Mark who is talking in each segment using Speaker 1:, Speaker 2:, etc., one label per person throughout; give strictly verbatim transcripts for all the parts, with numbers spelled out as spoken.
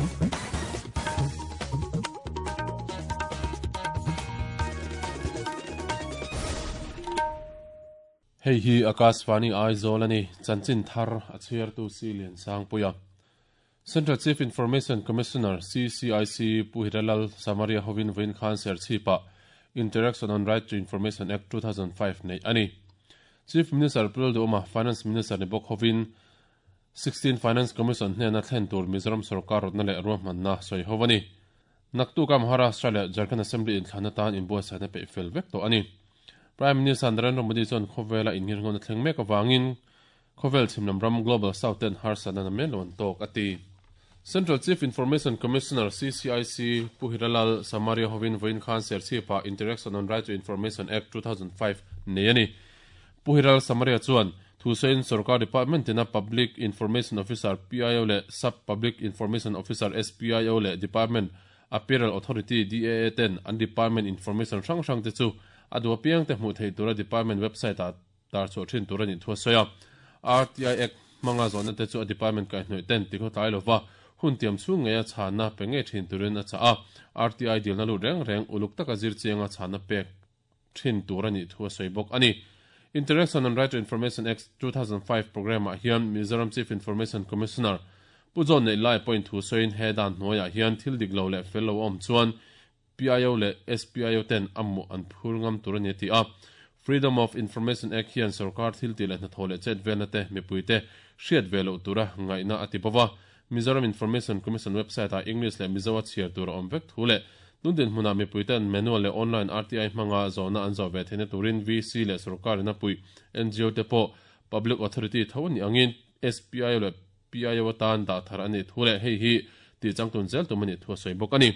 Speaker 1: Hei hi Akashvani Aizawl ani chanchin thar a chhiartu si lian sang puia. Central Chief Information Commissioner C C I C Pu Hiralal Samaria hovin vawiin khan Serchhipa Interaction on Right to Information Act two thousand five nei ani. Chief Minister Pu Lalduhoma Finance Minister ni bawk hovin sixteen Finance Commission hnena thlen tur Mizoram sarkar rawtna leh ruahmanna sawi ho ani. Naktuka Maharashtra leh Jharkhand Assembly inthlana tan inbuatsaihna peih fel vek tawh ani. Prime Minister Narendra Modi chuan khawvela inngirngawna thleng mek awangin khawvel chhimlam ram Global South ten harsatna na men lo an tawk a ti. Central Chief Information Commissioner C C I C Pu Hiralal Samaria hovin vawiin khan Serchhipa Interaction on Right to Information Act two thousand five nei ani. Pu Hiralal Samaria chuan thusain sarkar department tina Public Information Officer P I O leh Sub Public Information Officer S P I O leh Department Apparel Authority D A A ten an department information hrang hrang te chu a duh apiang te hmuh thei tura department website ah tar chhuah thin tur ani thu a sawi a. R T I Act hmanga zawhna te chu a department kaihhnawih ten tikhaw tlai lova hun tiam chhung ngei a chhana pe ngei thin turin a chah a. R T I dilna lut reng reng uluk taka zir chianga chhana pek thin tur ani thu a sawi bawk ani. Interaction on Right to Information Act two thousand five program ah hian Mizoram Chief Information Commissioner Pu John Nei Lai point thu sawiin he dan hnuaiah hian thil dik lo leh fel lo a awm chuan P I O leh S P I O ten a hmuh an phur ngam tur ani a ti a. Freedom of Information Act hian sarkar thil tih leh hnathawh leh chet velna te mipui te hriat ve loh tura ngaihna a ti bawk a. Mizoram Information Commission website ah English leh Mizo a chhiar tur a awm vek thu leh tundin hmunah mipui ten manual leh online R T I hmanga zawhna an zawh ve theihna turin V C leh sarkar in a pui N G O te pawh Public Authority tho ani angin S P I O leh P I O atan dah thar ani thu leh hei hi tih changtun zel tum ani thu a sawi bawk ani.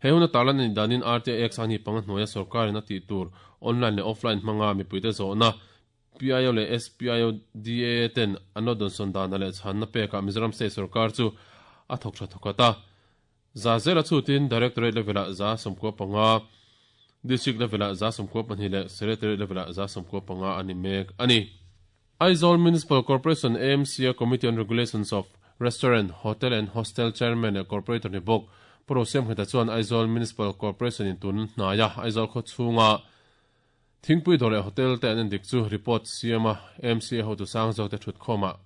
Speaker 1: He huna tarlan ani danin R T I X ani panga hnuaia sarkar in a tih tur online leh offline hmanga mipui te zawhna P I O leh S P I O D A A ten an lo dawnsawn dana leh chhanna pekah Mizoram State sarkar chu a thawk tha thawk ata. Za zela chutin Directorate level ah za sawmkua panga, District level ah za sawmkua pahnih leh Secretariat level ah za sawmkua panga ani mek ani. Aizawl Municipal Corporation A M C a Committee on Regulations of Restaurant, Hotel and Hostel Chairman leh Corporator ni bawk Pu Siam Heta chuan Aizawl Municipal Corporation in tun hnaia Aizawl khaw chhunga Thingpui dawr leh hotel te an endik chu report siama A M C a hotu sang zawk te thut khawmah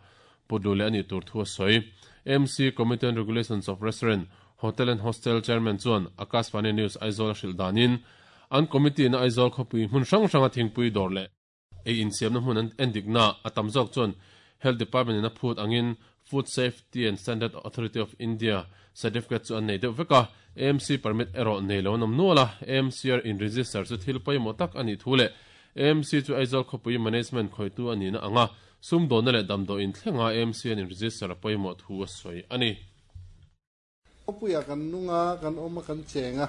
Speaker 1: putlu leh ani tur thu a sawi. A M C Committee on Regulations of Restaurant, Hotel and Hostel Chairman chuan Akashvani News Aizawl a hrilh danin an committee na Aizawl khawpui hmun hrang hranga thingpui dawr leh ei insiamna hmun an endikna a tam zawk chuan Health Department in a phut angin Food Safety and Standard Authority of India certificate chu an nei deuh vek a. A M C permit erawh nei lo an awm nual a. A M C R in register chu thil pawimawh tak ani thu leh A M C chu Aizawl khawpui management khawitu ani na anga sum dawnna leh damdaw in thlenga A M C an in register a pawimawh thu a sawi ani.
Speaker 2: Khawpuia kan nunga kan awma kan chenga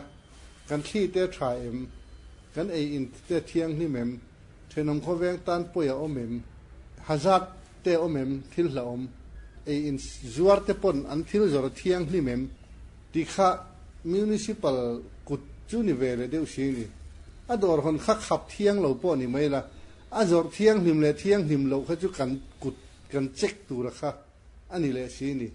Speaker 2: kan thli te tha em kan ei in te thiang hnim em thenawm khawveng tan pawi a awm em hazard te awm em thil hla awm ei in zuar te pawn an thil zawr a thiang hnim em ti kha municipal kut chu ni ve leh deuh si ni a dawr hawn kha khap thiang lo pawh ni mai la a zawr thiang hlim leh thiang hlim lo kha chu kan kut kan check tura kha ani leh si ni.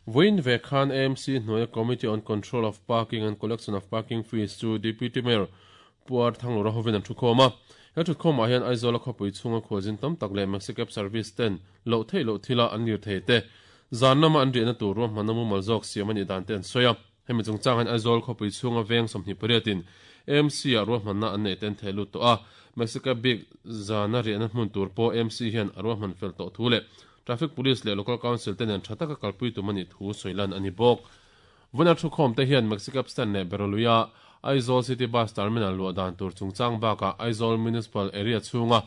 Speaker 1: Vawiin ve khan A M C hnuaia Committee on Control of Parking and Collection of Parking Fees chu Deputy Mayor Puar Thanglura hovin an thu khawm a. He thu khawmah hian Aizawl a khawpui chhunga khualzin tam tak leh Maxicab service ten loh theih loh thila an lir thei te zan lama an riahna tur ruahmanna mumal zawk siam ani dan te an sawi a. Hemi chungchang hian Aizawl khawpui chhunga veng sawmhnih pariatin A M C ah ruahmanna an nei ten thei lut tawh a. Maxicab bik zana riahna hmun tur pawh A M C hian a ruahman fel tawh thu leh Traffic Police leh Local Council te nen tha taka kalpui tum ani thu sawilan ani bawk. Vuna thu khawm te hian Maxicab stand leh Beroluia Aizawl City Bus Terminal luah dan tur chungchang bakah Aizawl Municipal Area chhunga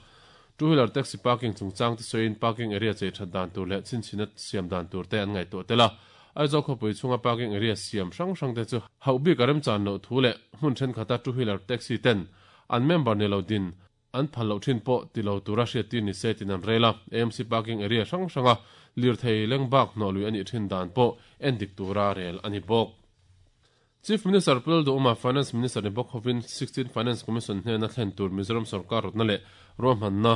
Speaker 1: two-wheeler taxi parking chungchang te sawiin parking area chei that dan tur leh chinchina siam dan tur te an ngaihtuah tel a. Aizawl khawpui chhunga parking area siam hrang hrang te chu hauh bik a remchan loh thu leh hmun thenkhat a two-wheeler taxi ten an member ni lo din an phal loh thin pawh ti lo tura hriat tir ni se tin an rel a. A M C parking area hrang hranga lir thei lengbak hnawh lui ani thin dan pawh endik tura rel ani bawk. Chief Minister Pu Lalduhoma Finance Minister ni bawk hovin sixteen Finance Commission hnena thlen tur Mizoram sarkar rawtna leh ruahmanna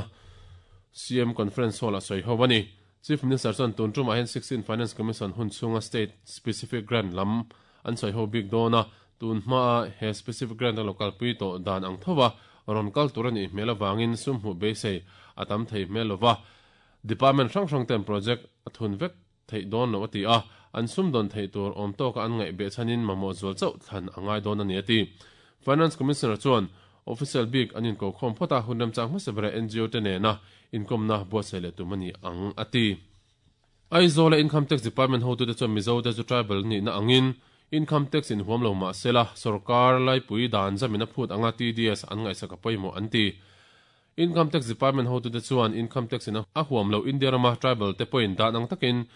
Speaker 1: C M Conference Hall a sawi ho ani. Chief Minister chuan tun tumah hian sixteen Finance Commission hun chhunga state specific grant lam an sawi ho bik dawn a, tun hmaa he specific grant a local pui to dan ang thowa ron kal tur ani hmel awangin sum hmu beisei a tam thei hmel lova department hrang hrang ten project a thun vek thei dawn lo ati a, an sum don thei tur awm tawk an ngai be chanin mamawh zual chauh thlan angai dawn ani ati. Finance Commissioner chuan official bik anin ko khom phota hunram chang hmasabra N G O te nena income na buatsaih leh tum ani ang ati. Aizawl Income Tax Department ho tu te chuan Mizo te chu tribal ni na angin income tax in huam lo ma sela sarkar lai pui dan zamina phut anga T D S an ngai saka poimo anti. Income Tax Department ho tu te chuan income tax in a huam lo India rama tribal te point dan ang takin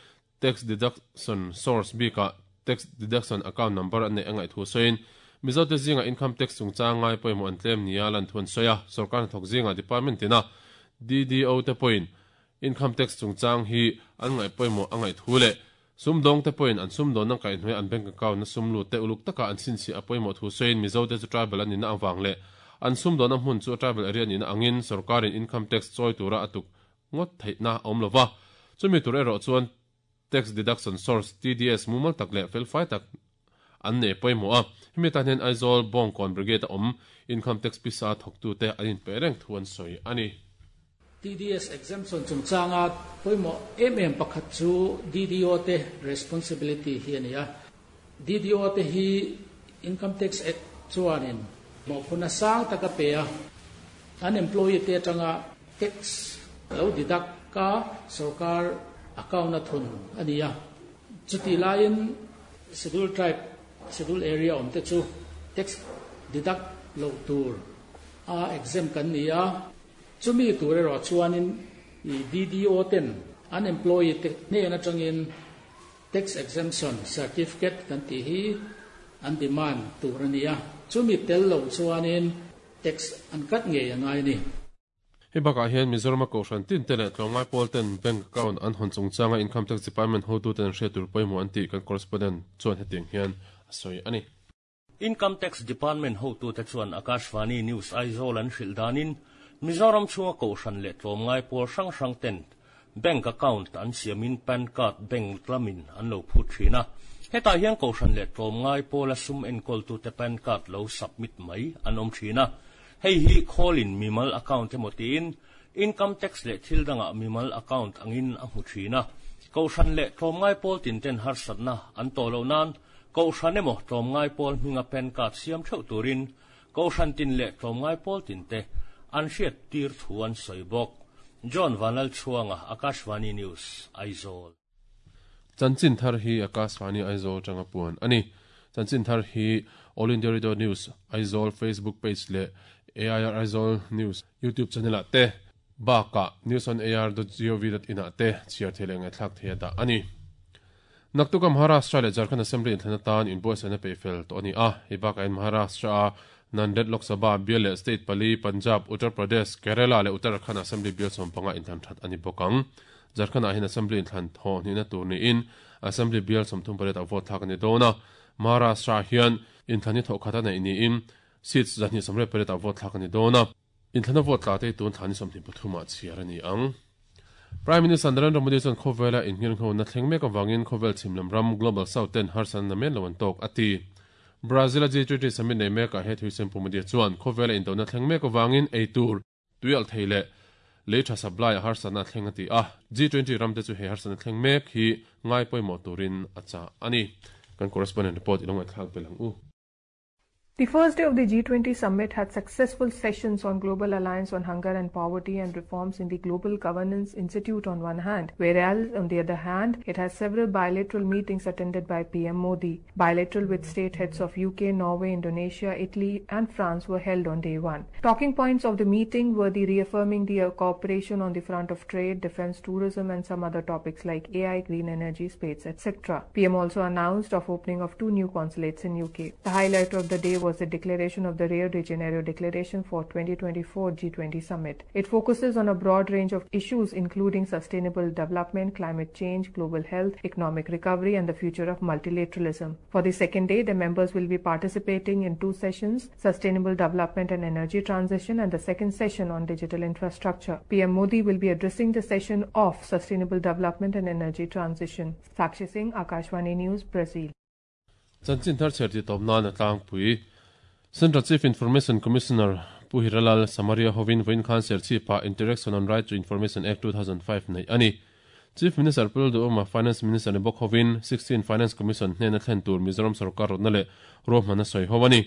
Speaker 1: tax deduction source bika tax deduction account number an nei angai thu soin Mizo te zinga income tax chungchang ngai poimo an tlem nia lan thun soya sarkar thok zinga department tina D D O te point income tax chungchang hi an ngai poimo angai thule sumdong te point an sumdon nang kai hnoi an bank account na sumlu te uluk taka an sin si apoimo thu soin Mizo te chu tribal ani na awang le an sumdon a hmun chu tribal area ni na angin sarkarin income tax choi tura atuk ngot theina awm lova chumi tur ero chuan tax deduction source T D S mumal tak le fel fai tak an ne poimo a hemi tan hian Aizawl Bawngkawn Brigade a awm income tax pisa thawktu te an in pe reng thu an sawi ani.
Speaker 3: T D S exemption chungchanga poimo em em pakhat chu D D O te responsibility hi ani a. D D O te hi income tax act chuanin mawphuna sang taka pe a, an employee te atanga tax lo deduct ka sarkar account na thun ani a. Chuti laiin schedule tribe schedule area awm te chu tax deduct lo tur a exempt kan ni a. Chumi tur erawh chuanin i D D O ten an employee te hnen atangin tax exemption certificate kan tih hi an demand tur ani a. Chumi tel lo chuanin tax an cut ngei angai ni.
Speaker 1: Hei bakah hian Mizoram Kohhran tin te leh tlawmngai pawl ten bank account an hawn chungchanga income tax department hotu ten hriat tur pawimawh an tih kan correspondent chuan hetiang hian a sawi ani.
Speaker 4: Income Tax Department hotu te chuan Akashvani News Aizawl an hrilh danin Mizoram chunga Kohhran leh tlawmngai pawl hrang hrang ten bank account an siamin PAN card bank lamin an lo phut thin a. Hetah hian Kohhran leh tlawmngai pawl a sum enkawl tu te PAN card lo submit mai an awm thin a. Hei hi khawlin mimal account emaw tiin income tax leh thil dangah mimal account angin a hmu thin a. Kohhran leh tlawmngai pawl tin ten harsatna an tawh loh nan Kohhran emaw tlawmngai pawl hminga PAN card siam theuh turin Kohhran tin leh tlawmngai pawl tin te an hriat tir thu an sawi bawk. John Vanal Chuanga, Akashvani News, Aizawl.
Speaker 1: Chanchin thar hi Akashvani Aizawl tanga puan ani. Chanchin thar hi All India Radio News Aizawl Facebook page le A I R Aizawl News YouTube channel ah te baka news on A R dot gov dot in ah te chhiar thei leh ngaihthlak thei a dah ani. Naktuka Maharashtra leh Jharkhand Assembly inthlana tan inbuatsaihna pe fel tawh ani a. Hei bakah in Maharashtra a Nanded Lok Sabha bial leh state pali Punjab, Uttar Pradesh, Kerala leh Uttarakhand Assembly bial sawm panga inthlan that ani bawk ang. Jharkhand ah hian Assembly inthlan thaw hnihna tur niin Assembly bial sawmthum pariat a vote thlak ani dawn a. Maharashtra hian inthlan hi thawh khat a neih niin seats zahnih sawmriat pariat a vote thlak ani dawn a. Inthlan a vote tla te tun thlan ni sawmhnih pathumah chhiar ani ang. Prime Minister Narendra Modi chuan khawvela inngirngho na thleng mek awangin khawvel chhimlam ram Global South ten harsan na men lo an tawk ati. Brazil a G twenty summit nei mekah he thui sem Pu Modi chuan khawvela indona thleng mek awangin ei tur tuial thei leh lei tha supply a harsan na thleng ati a. G twenty ram te chu he harsan na thleng mek hi ngai pawimawh turin a cha ani. Kan correspondent report ilong thlak belang u.
Speaker 5: The first day of the G twenty summit had successful sessions on Global Alliance on Hunger and Poverty and reforms in the Global Governance Institute on one hand, whereas on the other hand, it has several bilateral meetings attended by P M Modi. Bilateral with state heads of U K, Norway, Indonesia, Italy and France were held on day one. Talking points of the meeting were the reaffirming the cooperation on the front of trade, defense, tourism and some other topics like A I, green energy, space, et cetera. P M also announced of opening of two new consulates in U K. The highlight of the day was was the declaration of the Rio de Janeiro Declaration for twenty twenty-four G twenty Summit. It focuses on a broad range of issues including sustainable development, climate change, global health, economic recovery and the future of multilateralism. For the second day, the members will be participating in two sessions, Sustainable Development and Energy Transition and the second session on digital infrastructure. P M Modi will be addressing the session of Sustainable Development and Energy Transition. Sakshi Singh, Akashvani News, Brazil.
Speaker 1: Chanchin thar cherti topna na tlang pui. Central Chief Information Commissioner Pu Hiralal Samaria hovin voin khan serchi pa Interaction on Right to Information Act two thousand five nei ani. Chief Minister Pul Duhoma Finance Minister ni bok hovin sixteen Finance Commission hne na thlen tur Mizoram sarkar rodna le rohmana soi howani.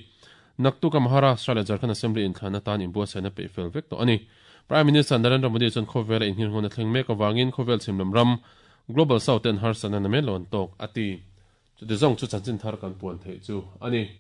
Speaker 1: Naktu ka Maharashtra le Jharkhand Assembly in thlana tan inbua sena pe fel vek to ani. Prime Minister Narendra Modi chon khovel in hin hona thleng mek awangin khovel chimlam ram Global South en har sana na me lon tok ati. Chu de zong chu chanchin thar kan puan thei chu ani.